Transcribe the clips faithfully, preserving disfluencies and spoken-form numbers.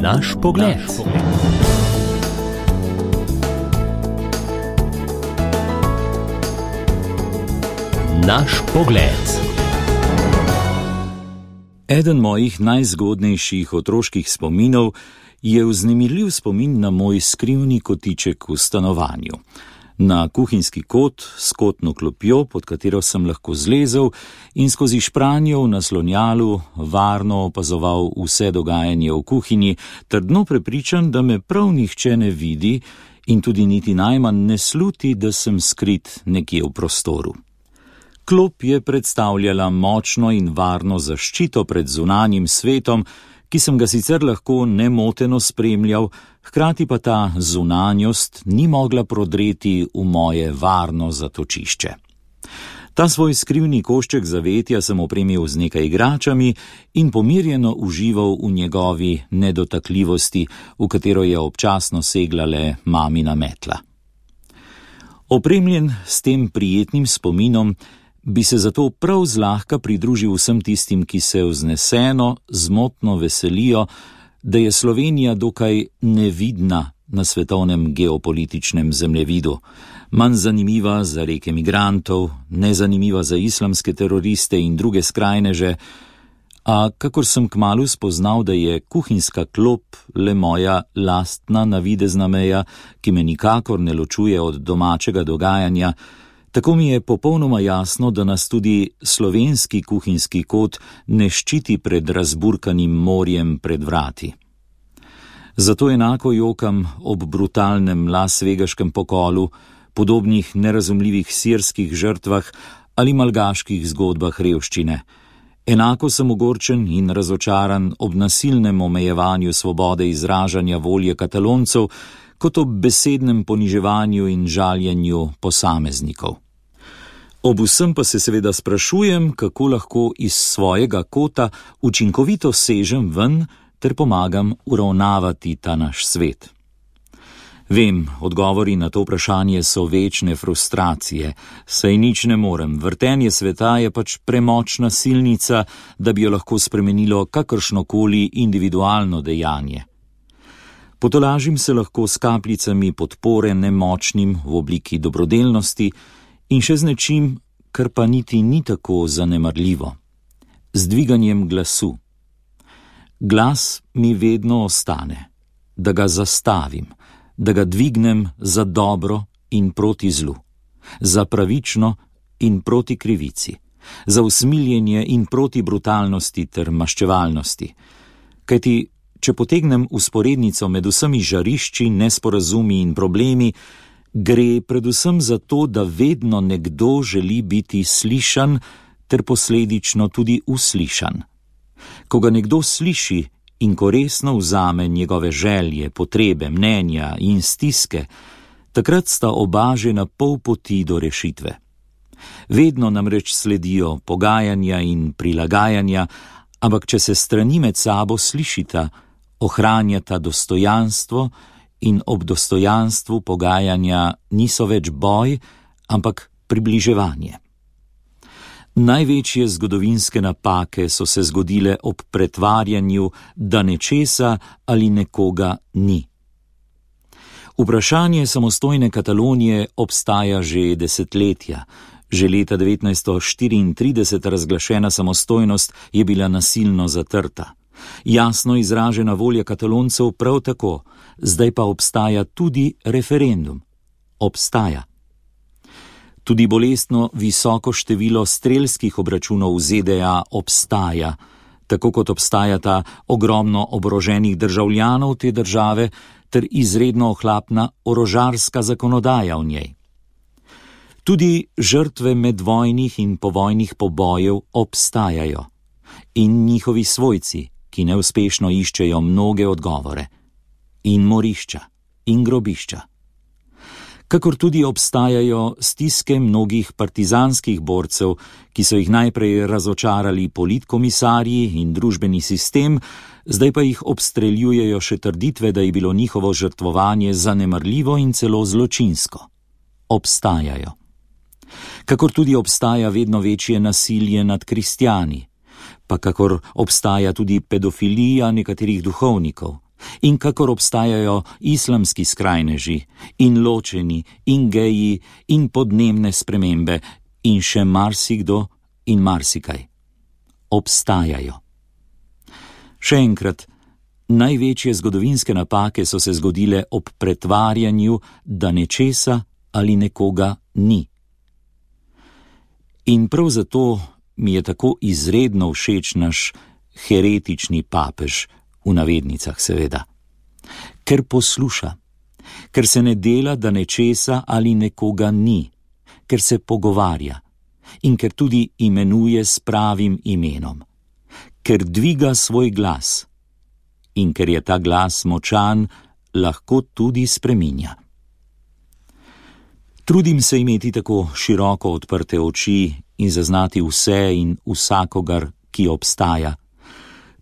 Naš pogled. Naš pogled. Eden mojih najzgodnejših otroških spominov je vznemirljiv spomin na moj skrivni kotiček v stanovanju. Na kuhinjski kot s kotno klopjo, pod katero sem lahko zlezel in skozi špranjo v naslonjalu varno opazoval vse dogajanje v kuhinji, trdno prepričan, da me prav nihče ne vidi in tudi niti najmanj ne sluti, da sem skrit nekje v prostoru. Klop je predstavljala močno in varno zaščito pred zunanjim svetom, ki sem ga sicer lahko nemoteno spremljal, hkrati pa ta zunanjost ni mogla prodreti v moje varno zatočišče. Ta svoj skrivni košček zavetja sem opremil z nekaj igračami in pomirjeno užival v njegovi nedotakljivosti, v katero je občasno segla le mamina metla. Opremljen s tem prijetnim spominom, bi se zato prav zlahka pridružil vsem tistim, ki se vzneseno, zmotno veselijo, da je Slovenija dokaj nevidna na svetovnem geopolitičnem zemljevidu, manj zanimiva za reke migrantov, nezanimiva za islamske teroriste in druge skrajneže, a kakor sem kmalu spoznal, da je kuhinjska klop le moja lastna navidezna meja, ki me nikakor ne ločuje od domačega dogajanja, tako mi je popolnoma jasno, da nas tudi slovenski kuhinjski kot ne ščiti pred razburkanim morjem pred vrati. Zato enako jokam ob brutalnem lasvegaškem pokolu, podobnih nerazumljivih sirskih žrtvah ali malgaških zgodbah revščine. Enako sem ogorčen in razočaran ob nasilnem omejevanju svobode izražanja volje Kataloncev, kot ob besednem poniževanju in žaljenju posameznikov. Ob vsem pa se seveda sprašujem, kako lahko iz svojega kota učinkovito sežem ven ter pomagam uravnavati ta naš svet. Vem, odgovori na to vprašanje so večne frustracije, saj nič ne morem, vrtenje sveta je pač premočna silnica, da bi jo lahko spremenilo kakršnokoli individualno dejanje. Potolažim se lahko s kapljicami podpore nemočnim v obliki dobrodelnosti, in še z nečim, kar pa niti ni tako zanemarljivo. Z dviganjem glasu. Glas mi vedno ostane, da ga zastavim, da ga dvignem za dobro in proti zlu, za pravično in proti krivici, za usmiljenje in proti brutalnosti ter maščevalnosti. Kajti, če potegnem usporednico med vsemi žarišči, nesporazumi in problemi, gre predvsem za to, da vedno nekdo želi biti slišan ter posledično tudi uslišan. Ko ga nekdo sliši in ko resno vzame njegove želje, potrebe, mnenja in stiske, takrat sta oba že na pol poti do rešitve. Vedno namreč sledijo pogajanja in prilagajanja, ampak če se strani med sabo slišita, ohranjata dostojanstvo in ob dostojanstvu pogajanja niso več boj, ampak približevanje. Največje zgodovinske napake so se zgodile ob pretvarjanju, da nečesa ali nekoga ni. Vprašanje samostojne Katalonije obstaja že desetletja. Že leta devetnajststo štiriintrideset razglašena samostojnost je bila nasilno zatrta. Jasno izražena volja Kataloncev prav tako, zdaj pa obstaja tudi referendum. Obstaja. Tudi bolestno visoko število strelskih obračunov v Z D A obstaja, tako kot obstajata ogromno oboroženih državljanov te države ter izredno ohlapna orožarska zakonodaja v njej. Tudi žrtve medvojnih in povojnih pobojev obstajajo in njihovi svojci, ki neuspešno iščejo mnoge odgovore, in morišča, in grobišča. Kakor tudi obstajajo stiske mnogih partizanskih borcev, ki so jih najprej razočarali politkomisarji in družbeni sistem, zdaj pa jih obstreljujejo še trditve, da je bilo njihovo žrtvovanje zanemarljivo in celo zločinsko. Obstajajo. Kakor tudi obstaja vedno večje nasilje nad kristjani, pa kakor obstaja tudi pedofilija nekaterih duhovnikov, In kakor obstajajo islamski skrajneži, in ločeni, in geji, in podnebne spremembe, in še marsikdo in marsikaj. Obstajajo. Še enkrat, največje zgodovinske napake so se zgodile ob pretvarjanju, da nečesa ali nekoga ni. In prav zato mi je tako izredno všeč naš heretični papež, v navednicah seveda. Ker posluša, ker se ne dela, da nečesa ali nekoga ni, ker se pogovarja in ker tudi imenuje s pravim imenom, ker dviga svoj glas in ker je ta glas močan, lahko tudi spreminja. Trudim se imeti tako široko odprte oči in zaznati vse in vsakogar, ki obstaja.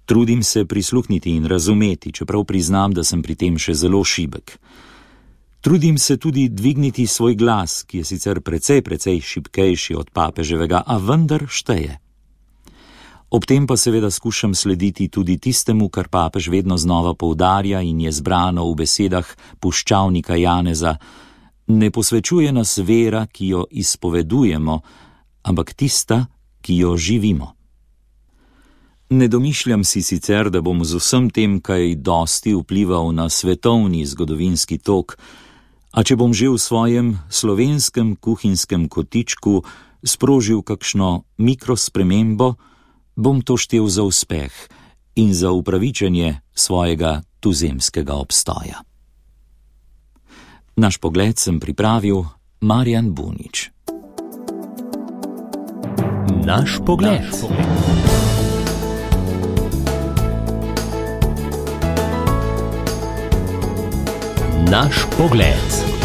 Trudim se prisluhniti in razumeti, čeprav priznam, da sem pri tem še zelo šibek. Trudim se tudi dvigniti svoj glas, ki je sicer precej, precej šibkejši od papeževega, a vendar šteje. Ob tem pa seveda skušam slediti tudi tistemu, kar papež vedno znova poudarja in je zbrano v besedah puščavnika Janeza: ne posvečuje nas vera, ki jo izpovedujemo, ampak tista, ki jo živimo. Ne domišljam si sicer, da bom z vsem tem kaj dosti vplival na svetovni zgodovinski tok, a če bom že v svojem slovenskem kuhinjskem kotičku sprožil kakšno mikrospremembo, bom to štel za uspeh in za upravičenje svojega tuzemskega obstoja. Naš pogled sem pripravil Marjan Bunič. Naš pogled. Naš pogled.